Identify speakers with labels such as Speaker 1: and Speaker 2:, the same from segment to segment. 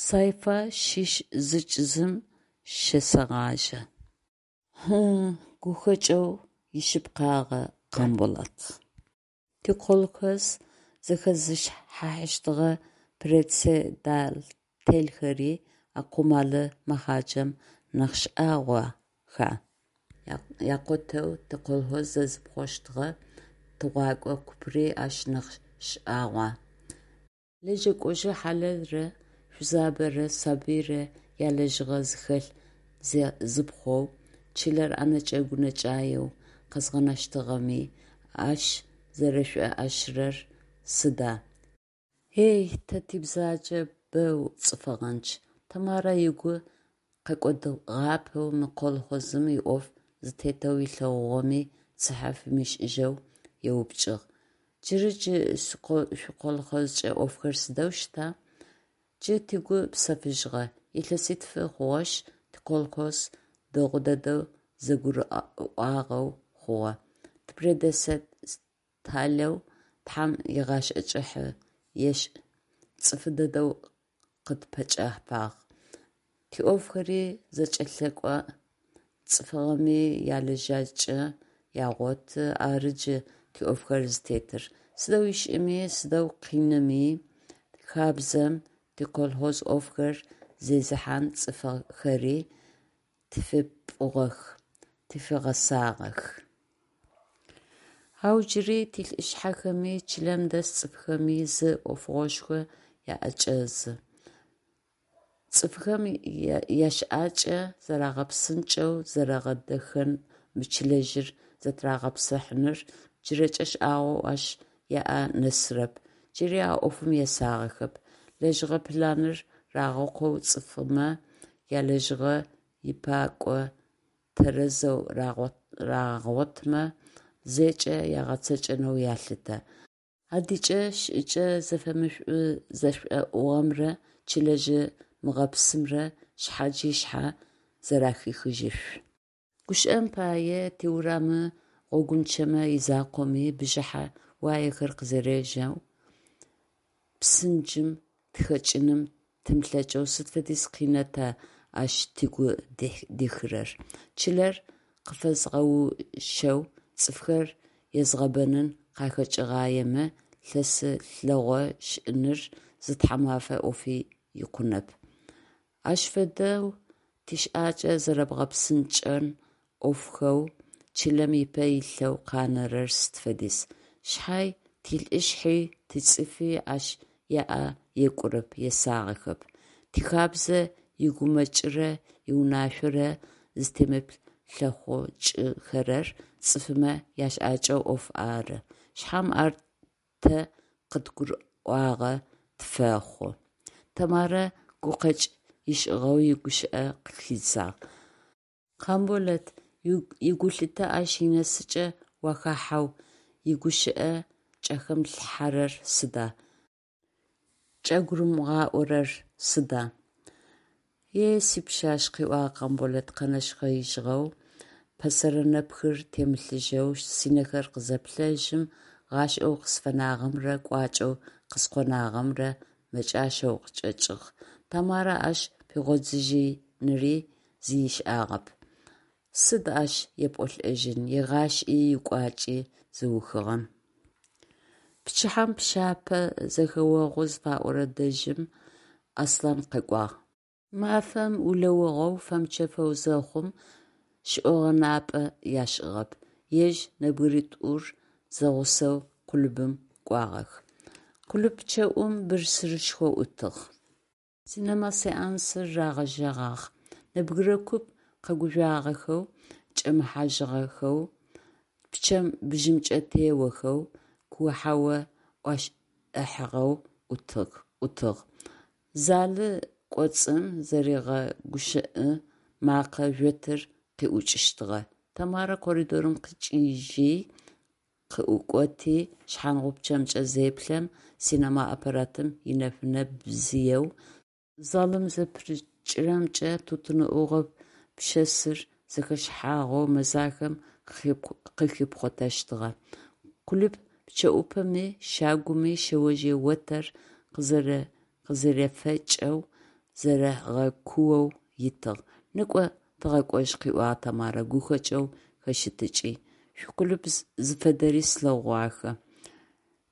Speaker 1: Сайфа щыщ зыкӏ зым щесэгъажьэ. Ы-ы, гухэкӀэу ишъыпкъагъэ, Къамболэт. Тиколхоз зэхэзышхыхьащтыгъэ председателхэри а къумалы мэхъаджэм нахь шӀагъоха? Якъотэу тиколхоз зезыпхъощтыгъэ тыгъуакӀо купри ащ нахь шӀагъуа? Лэжьэкӏожъы хьалэлрэ шъузабэрэ сабыйрэ ялэжьыгъэ зыхэлъ зезыпхъоу, чылэр ӏэнэкӏэ-гунэкӏаеу къэзгъанэщтыгъэми ащ зэрэшӏоӏэшырэр сыда? Ей, тэ тибзаджэ боу цӏыфыгъэнчъ, – Тэмарэ ыгу къэкӏодыгъапэу, мы колхозым иӏоф зытетэу ылъэгъугъэми цыхьэ фимышӏыжьэу еупчӏыгъ: – Джыры джы шъуиколхозкӏэ ӏофхэр сыдэу щыта? Джы тыгу псэфыжьыгъэ. Илъэситф хъугъэшъ тиколхоз дэгъу дэдэу зэгурыӏуагъэу хъугъэ. Типредседателэу, тхьам игъашӏэ кӏыхьэ ешӏ, цӏыфы дэдэу къытпэкӏэфагъ. Тиӏофхэри зэкӏэлъэкӏо, цӏыфхэми ялэжьакӏэ ягъоты, ары джы тиӏофхэр зытетыр. Сыдэу ишӏыми, сыдэу къиными, хабзэм тиколхоз ӏофхэр зезыхьан цӏыфхэри тфипӏугъэх, тфигъэсагъэх. Ау джыри тилӏышъхьэхэми, чылэм дэс цӏыфхэми зы ӏофыгъошхо аӏэкӏэзы. Цӏыфхэм ящыӏакӏэ зэрагъэпсынкӏэу, зэрагъэдэхэн мы чылэжъыр зэтырагъэпсыхьаныр джырэкӏэ шӏагъоу ащ яӏэ нэсырэп, джыри а ӏофым есагъэхэп. Лэжьыгъэ планыр рагъэкъоу цӏыфмэ ялэжьыгъэ ипаӏо тэрэзэу рагъотмэ, зэкӏэ ягъэцэкӏэнэу ялъытэ. Адыкӏэ шӏыкӏэ зэфэмышӏу-зэшӏоӏугъэмрэ чылэжъы мыгъэпсымрэ шъхьадж ышъхьэ зэрэхихыжьышъу. Гущыӏэм пае, тиурамы гъогунчъэмэ изакъоми, бжыхьэ уаехэр къызэрежьэу псынджым тыхэкӏыным тымылъэкӏэу сыд фэдиз къина тэ ащ тыгу дихырэр. Чылэр къыфэзгъэущэу, цӏыфхэр езгъэбэнын къахэкӏыгъаемэ, лъэсы лъэгъо шӏыныр зы тхьэмэфэ ӏофи икъунэп. Ащ фэдэу тищыӏакӏэ зэрэбгъэпсынкӏэн ӏофхэу чылэм ыпэ илъэу къанэрэр сыд фэдиз. Шъхьай тилӏышъхьи, тицӏыфи ащ яӏэ екӏурэп, есагъэхэп. Тихабзэ игумэкӏырэ иунашъорэ зытемыплъэхъукӏыхэрэр цӏыфмэ ящыӏэкӏэ ӏоф ары шъхьам ар тэ къыдгурыӏуагъэ тфэхъу, – Тэмарэ гукъэкӏ ышӏыгъэу игущыӏэ къыхидзагъ. Къамболэт игулъытэ ащ инэсыкӏэ уахахьэу игущыӏэ кӏахэмылъхьэрэр сыда, кӏагурымыгъаӏорэр сыда? Е сипшъашъ, – къыӏуагъ Къамболэт къэнэшхъэижьыгъэу, пэсэрэ нэпхыр темылъыжьэу сынэхэр къызэплъэжьым, гъашӀэу къысфэнагъэмрэ кӀуачӀэу къыскъонагъэмрэ мэкӀащэу къычӀэкӀыгъ. Тамарэ ащ пигъодзыжьыныри зи ышӏагъэп. Сыд ащ епӏолӏэжьын, игъашӀи икӏуакӏи зыухыгъэм. Пчыхьэм, пщэпэ зэхэогъу зыфаӏорэ дэжьым, Аслъан къэкӏуагъ. Мафэм улэугъэу, фэмычэфэу зэхъум, шӏогъэнапӏэ яшӏыгъэп, ежь нэбгыритӏур зэгъусэу клубым кӏуагъэх. Клуб пчъэӏум бырсырышхо ӏутыгъ. Синема сеансыр рагъэжьэгъагъ. Нэбгырэ куп къэгужъуагъэхэу чӏэмыхьажьыгъэхэу, пчъэм бжьэмкӏэ теохэу, куо-хьау ӏуашӏыхьагъэу ӏутыгъ. Залы кӏоцӏым зэригъэгущыӏэ мэкъэ жъотыр къиӏукӏыщтыгъэ. Тэмарэ коридорым къичъыжьи къыӏукӏоти шъхьангъупчъэмкӏэ зеплъэм, синема аппаратым инэфынэ бзыеу залым зэпырыкӏырэмкӏэ тутын ӏугъо пщэсыр зэхэшыхьагъэу мэзахэм къыхипхъуатэщтыгъэ. Клуб пчъэӏупэми, щагуми шъэожъые отэр къызэрефэкӏэу Зэрэгъэкуоу итыгъ. Некӏо, тыгъэкӏожь, – къыӏуагъ Тэмарэ, гухэкӏэу хэщэтыкӏи, – шъуиклуб зыфэдэри слъэгъугъахэ.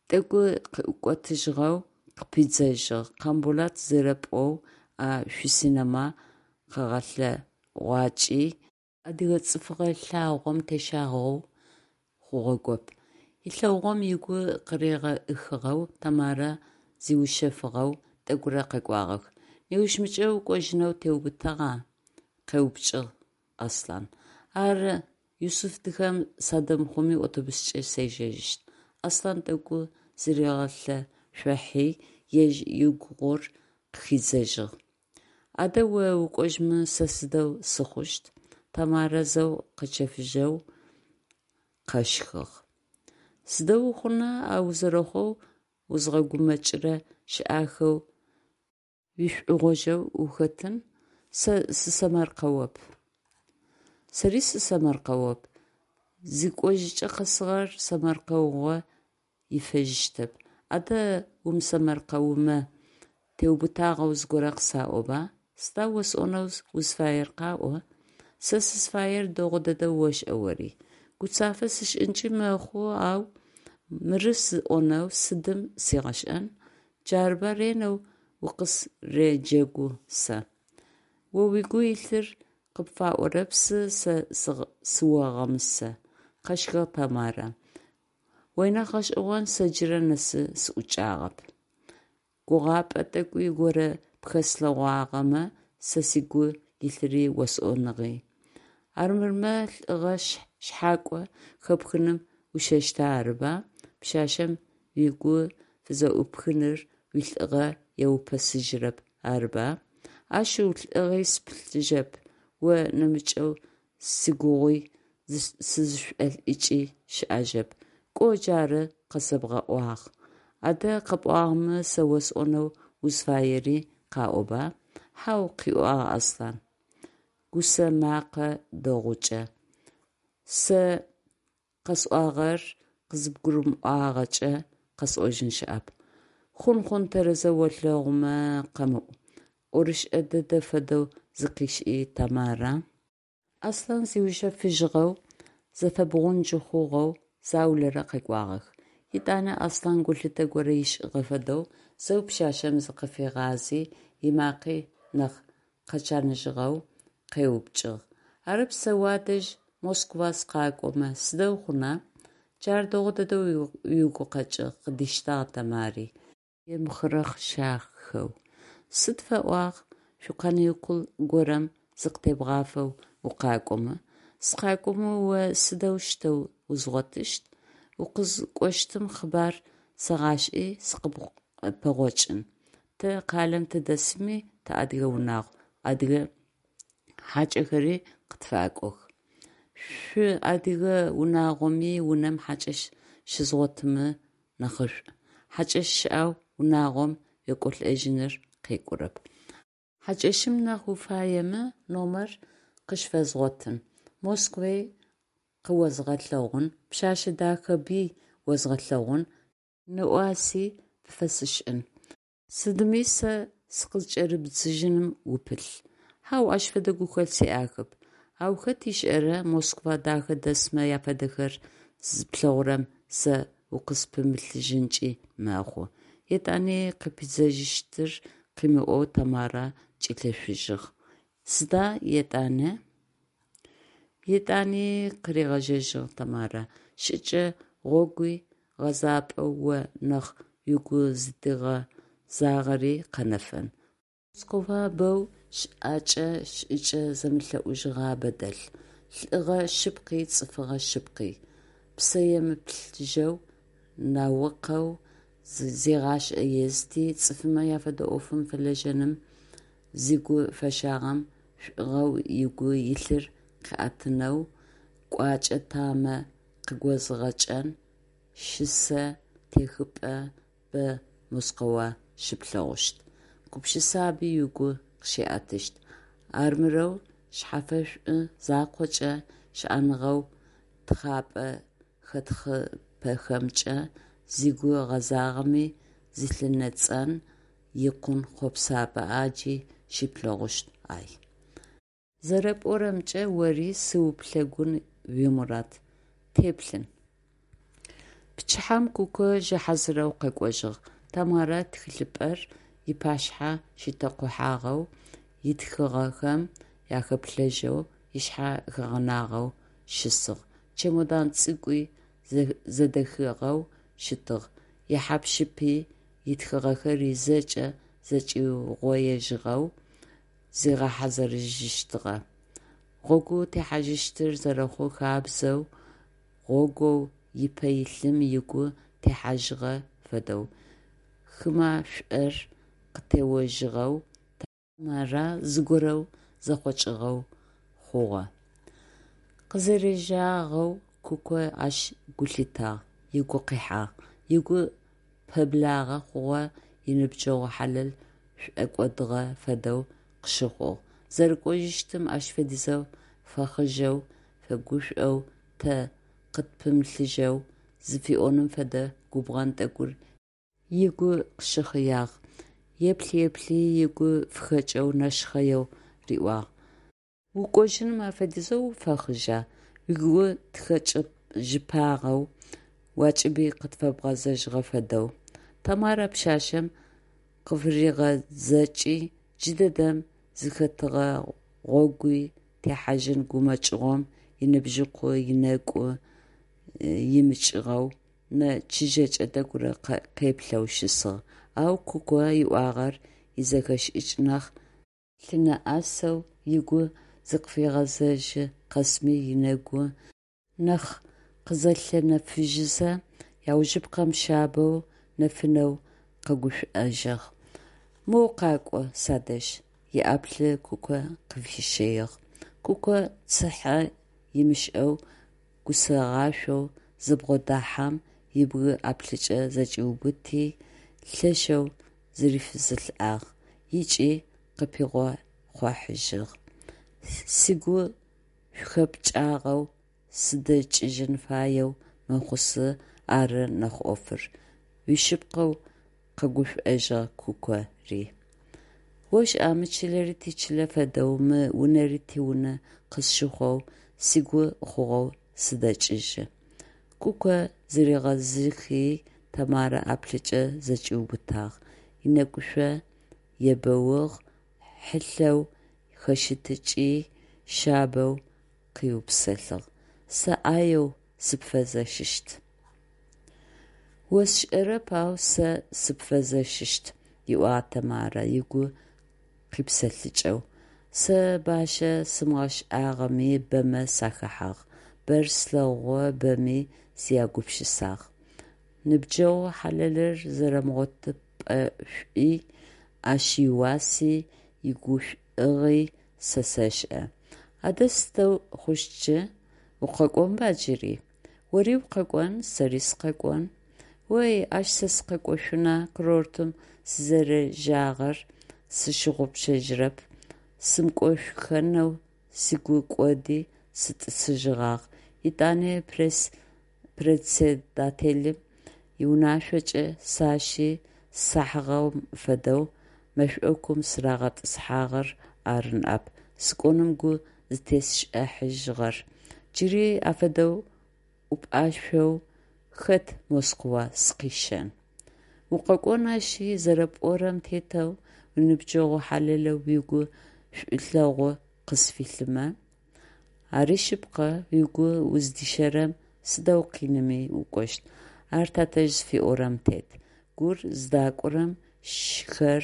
Speaker 1: Тӏэкӏуи къыӏукӏотыжьыгъэу къыпидзэжьыгъ: Къамболэт зэрэпӏоу а шъуисинема къэгъэлъэгъуакӏи адыгэ цӏыфыгъэ лъагъом тещагъэу хъугъэгоп. Ылъэгъугъэм ыгу къыригъэӏыхыгъэу Тэмарэ зиушъэфыгъэу тӏэкӏурэ къэкӏуагъэх. Неущмыкӏэ укӏожьынэу теубытагъа? – къеупчӏыгъ Аслъан. Ары, Юсыфдыхэм садэмыхъуми автобускӏэ сежьэжьыщт, – Аслъан тӏэкӏу зыригъэлъэшъуахьи, ежь игугъу къыхидзэжьыгъ. Адэ о укӏожьмэ сэ сыдэу сыхъущт? – Тэмарэ зэу къэчэфыжьэу къэщхыгъ. Сыдэу ухъуна, а узэрэхъоу узгъэгумэкӏырэ щыӏахэу уишъугъожьэу ухэтын, сэ сысэмэркъэоп. Сэри сысэмэркъэоп. Зикӏожьыкӏэ къэсыгъэр сэмэркъэугъо ифэжьыщтэп. Адэ умысэмэркъэумэ, теубытагъэу зыгорэ къысаӏоба. Сыда осӏонэу узфаер, къаӏо. Сэ сызфаер дэгъу дэдэу ошӏэ ори. Гуцафэ сышӏынкӏи мэхъу, ау мыры сӏонэу сыдым сигъэшӏэн. Джарыба ренэу укъысреджэгу сэ. О угу илъыр къыпфаӏорэпсы, сэ сыогъэмысэ, – къэщхыгъ Тэмарэ. Ой нахь гъэшӏэгъон сэ джырэ нэсы сыӏукӏагъэп. Гугъапӏэ тӏэкӏу горэ пхэслъэгъуагъэмэ, сэ сыгу илъыри осӏоныгъи. Армырмэ лӏыгъэ шъхьакӏо хэпхыным ущэщтэ арыба? Пшъашъэм угу фызэӏупхыныр уилӏыгъэ еупэсыжьырэп, арыба? Ашъыу, лӏыгъи сыпылъыжьэп, о нэмыкӏэу сигугъуи сызышӏолӏыкӏи щыӏэжьэп. Кӏо, джары къэсэбгъэӏуагъ. Адэ къэпӏуагъэмэ, сэ осӏонэу узфаери къаӏоба? Хьау, – къыӏуагъ Аслъан, гусэ мэкъэ дэгъукӏэ, – сэ къэсӏуагъэр къызыбгурымыӏуагъэкӏэ, къэсӏожьын щыӏэп. Хъун, хъун, тэрэзэу олъэгъумэ къэмыӏу, – ӏорышӏэ дэдэ фэдэу зыкъишӏи Тэмарэ. Аслъан зиушъэфыжьыгъэу, зэпэбгъунджэ хъугъэу заулэрэ къэкӏуагъэх. Етӏанэ Аслъан гулъытэ горэ ышӏыгъэ фэдэу зэу пшъашъэм зыкъыфигъази, ымакъи нахь къэчаныжьыгъэу къеупчӏыгъ: Арэп сэ уадэжь Москва сыкъакӏомэ сыдэу хъуна? Джар дэгъу дэдэу уигукъэкӏыгъ, – къыдиштагъ Тэмари, емыхъырэхъышахэу. Сыд фэӏуагъ шъуиканикул горэм зыкъытебгъафэу укъакӏомэ? Сыкъакӏомэ о сыдэущтэу узгъотыщт? Укъызыкӏощтым къэбар сэгъашӏи, сыкъыппэгъокӏын. Тэ къалэм тыдэсми, тыадыгэ унагъу, адыгэ хьакӏэхэри къытфэкӏох. Шъуадыгэ унагъоми, унэм хьакӏэщ щызгъотымэ нахьышӏу. Хьакӏэщ щыӏэу унагъом уекӏолӏэжьыныр къекӏурэп. Хьакӏэщым нахь уфаемэ, номер къыщфэзгъотын. Москви къыозгъэлъэгъун, пшъэшъэ дэхаби озгъэлъэгъун, нэӏуаси пфэсшӏын. Сыдми сэ сыкъызкӏэрыбдзыжьыным упылъ? Хьау, ащ фэдэ гухэлъ сиӏахэп. Ау хэт ышӏэра, Москва дахэ дэсмэ афэдэхэр зыплъэгъурэм сэ укъыспымылъыжьынкӏи мэхъу. Етӏани къыпидзэжьыщтыр къымыӏоу Тэмарэ кӏилъэшъужьыгъ. Сыда етӏани? Етӏани, – къыригъэжьэжьыгъ Тэмарэ, – шӏыкӏэ гъогуи гъэзапӏэу о нахь угу зыдигъэзагъэри къэнэфэн. Москва боу щыӏэкӏэ шӏыкӏэ зэмылӏэужыгъуабэ дэлъ. Лӏыгъэ шъыпкъи цӏыфыгъэ шъыпкъи, псэемыблэжьэу, наукэу зигъашӏэ езыти, цӏыфмэ яфедэ ӏофым фэлэжьэным зыгу фэщагъэм шӏугъэу ыгу илъыр къыӏэтынэу кӏуачӏэ тамэ къыгозыгъэкӏэн щысэ техыпӏэ бэ Москва щыплъэгъущт, гупшысаби угу къыщиӏэтыщт. Армырэу шъхьэфэшӏу закъокӏэ, щыӏэныгъэу тхъапӏэ хэтхъыпэхэмкӏэ зыгу гъэзагъэми зылъынэцӏэн икъун хъопсапӏэ ӏаджи щыплъэгъущт, ай. Зэрэпӏорэмкӏэ, ори сыууплъэкӏун уимурад. Теплъын. Пчыхьэм Куко жьы хьазырэу къэкӏожьыгъ. Тэмарэ тхылъыпӏэр ыпашъхьэ щитэкъухьагъэу, ытхыгъэхэм ахэплъэжьэу, ышъхьэ хэгъэнагъэу щысыгъ. Чемодан цӏыкӏуи зэдэхыгъэу щытыгъ, ихьап-щыпи, ытхыгъэхэри зэкӏэ зэкӏиугъоежьыгъэу зигъэхьазырыжьыщтыгъэ. Гъогу техьажьыщтыр зэрэхъу хабзэу, гъогоу ыпэ илъым ыгу техьажьыгъэ фэдэу, хымашӏор къытеожьыгъэу Тэмарэ зыгорэу зэхъокӏыгъэу хъугъэ. Къызэрежьагъэу Куко ащ гу лъитагъ, ыгу къихьагъ. Ыгу пэблагъэ хъугъэ иныбджэгъу хьалэл шӏокӏодыгъэ фэдэу къыщыхъугъ. Зэрэкӏожьыщтым ащ фэдизэу фэхъыжъэу, фэгушӏоу, тэ къытпымылъыжьэу зыфиӏоным фэдэ губгъэн тӏэкӏур ыгу къыщыхъыягъ, еплъ-еплъи ыгу фыхэкӏэу нэшхъэеу риӏуагъ: «Укӏожьыным афэдизэу уфэхъыжъа, угу тыхэкӏыжьыпагъэу, уакӏыби къытфэбгъэзэжьыгъэ фэдэу?» Тэмарэ пшъашъэм къыфыригъэзэкӏи, джыдэдэм зыхэтыгъэ гъогу техьажьын гумэкӏыгъом иныбжьыкъу ынэгу имыкӏыгъэу, нэ чыжьэкӏэ тӏэкӏурэ къеплъэу щысыгъ, ау Куко ыӏуагъэр изэхэшӏыкӏ нахь лъынэӏэсэу, ыгу зыкъыфигъэзэжьы къэсми ынэгу нахь къызэлъэнэфыжьызэ, аужыпкъэм шъабэу, нэфынэу къэгушӏужьыгъ: «Моу къакӏо садэжь», – иӏаплӏы Куко къыфищэигъ. Куко цыхьэ ымышӏэу, гусэгъашӏоу зыбгъодэхьэм, ыбгы ӏаплӏыкӏэ зэкӏиубыти, лъэшэу зырифызылӏагъ ыкӏи къыпигъэхъожьыгъ: «Сыгу шъухэпкӏагъэу сыдэкӏыжьын фаеу мэхъушъ ары нахь ӏофыр», – уишъыпкъэу къэгушӏужьыгъ Кукори. «Ошӏа, мы чылэри тичылэ фэдэу, мы унэри тиунэ къысщыхъоу, сыгу хъугъэу сыдэкӏыжьы», – Куко зыригъэзыхи, Тэмарэ ӏаплӏыкӏэ зэкӏиубытагъ, ынэкӏушъо ебэугъ, хьылъэу хэщэтыкӏи, шъабэу къыӏуипсэлъыгъ: «Сэ ӏаеу сыпфэзэщыщт». «О сшӏэрэп, ау сэ сыпфэзэщыщт», – ыӏуагъ Тэмарэ ыгу къипсэлъыкӏэу. «Сэ бащэ сымыгъэшӏагъэми, бэмэ сахэхьагъ, бэр слъэгъугъэ, бэми сягупшысагъ. Ныбджэгъу хьалэлыр зэрэмыгъотыпӏэшӏуи, ащ ыуаси, игушӏугъи сэ сэшӏэ. Адэ сыдэу хъущт джы? Укъэкӏонба джыри? Ори укъэкӏон, сэри сыкъэкӏон. Ой, ащ сэ сыкъэкӏошъуна, курортым сызэрежьагъэр сщыгъупшэжьырэп, сымыкӏошъухэнэу сыгу кӏоди сытӏысыжьыгъагъ, етӏани председателым иунашъокӏэ сащи, сахьыгъэм фэдэу мэшӏокум сырагъэтӏысхьагъэр ары ныӏэп сыкӏоным гу зытесшӏыхьажьыгъэр, джыри афэдэу ӏупӏашъоу хэт Москва сыкъищэн? Укъэкӏон ащи, зэрэпӏорэм тетэу, уныбджэгъу хьалэлэу угу шӏулъэгъу къысфилъымэ. Ари шъыпкъэ, угу уздищэрэм сыдэу къиными укӏощт, ар тэтэжъ зыфиӏорэм тет. Гур зыдакӏорэм шхэр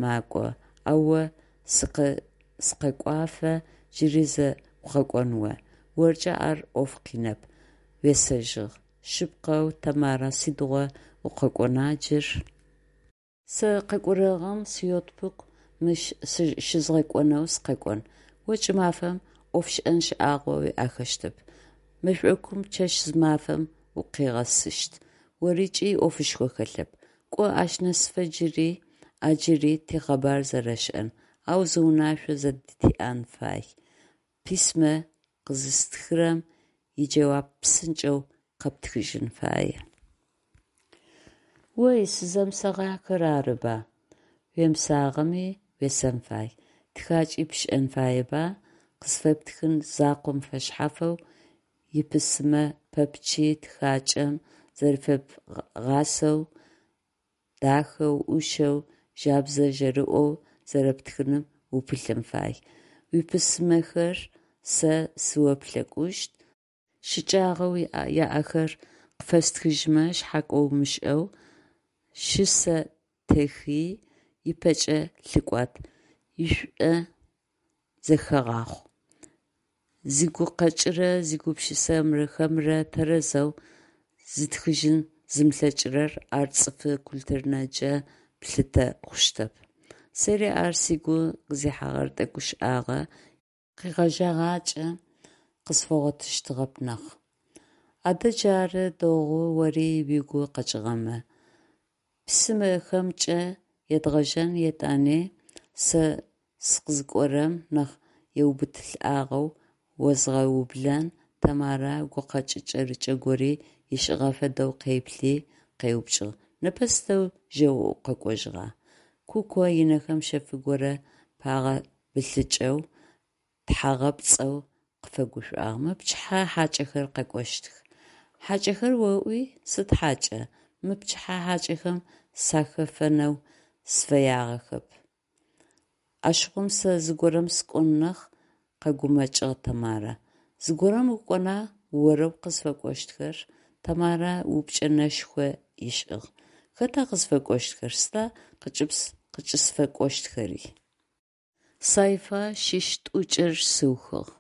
Speaker 1: макӏо, ау о сыкъэкӏуафэ джыри зэ укъэкӏон о, оркӏэ ар ӏоф къинэп, уесэжьыгъ. Шъыпкъэу, Тамара, сыдигъо укъэкӏона джыр? Сэ къэкӏорэгъым сиотпуск мыщ щызгъэкӏонэу сыкъэкӏон. О кӏымафэм ӏофшӏэн шӏагъо уиӏэхэщтэп, мэшӏокум чэщ-зымафэм укъигъэсыщт, орыкӏи ӏофышхо хэлъэп. Кӏо ащ нэсыфэ джыри ӏаджыри тикъэбар зэрэшӏэн, ау зы унашъо зэдытиӏэн фай: письмэ къызыстхырэм иджэуап псынкӏэу къэптхыжьын фае. Ой, сызэмысэгъахэр арыба? Уемысагъэми, уесэн фай, тхакӏи пшӏэн фаеба, къысфэптхын закъом фэшъхьафэу, иписьмэ пэпчъи тхакӏэм зэрэфебгъасэу, дахэу, ӏушэу, жабзэ жэрыӏоу зэрэптхыным упылъын фай. Уиписьмэхэр сэ сыуплъэкӏущт, щыкӏагъэу яӏэхэр къыпфэстхыжьмэ, шъхьакӏо умышӏэу, щысэ техи, ыпэкӏэ лъыкӏуат, уишӏу зэхэгъахъу. Зигукъэкӏырэ зигупшысэхэмрэ тэрэзэу зытхыжьын зымылъэкӏырэр ар цӏыфы культурнэджэ плъытэ хъущтэп. Сэри ар сыгу къызихьагъэр тӏэкӏу шӏагъэ, къегъэжьэгъакӏэ къысфэгъотыщтыгъэп нахь. Адэ джары, дэгъу ори угу къэкӏыгъэмэ. Письмэхэмкӏэ едгъэжьэн, етӏани сэ сыкъызыкӏорэм нахь еубытылӏагъэу озгъэублэн, Тэмарэ гукъэкӏ кӏэрыкӏэ гори ышӏыгъэ фэдэу къеплъи, къеупчӏыгъ: «Непэ сыдэу жьэу укъэкӏожьыгъа?» Куко ынэхэм шъэф горэ пагъэбылъыкӏэу, тхьагъэпцӏэу къыфэгушӏуагъ: «Мыпчыхьэ хьакӏэхэр къэкӏощтых». «Хьакӏэхэр оӏуи? Сыд хьакӏа? Мыпчыхьэ хьакӏэхэм сахэфэнэу сыфэягъэхэп». «Ащыгъум сэ зыгорэм сыкӏон нахь», – къэгумэкӏыгъ Тэмарэ. «Зыгорэм укӏона, орэп къызфэкӏощтхэр?» Тэмарэ упчӏэ нэшхо ышӏыгъ. «Хэта къызфэкӏощтхэр, сыда къыкӏысфэкӏощтхэри?» Сайфа щыщ тӏокӏыр сыухыгъ.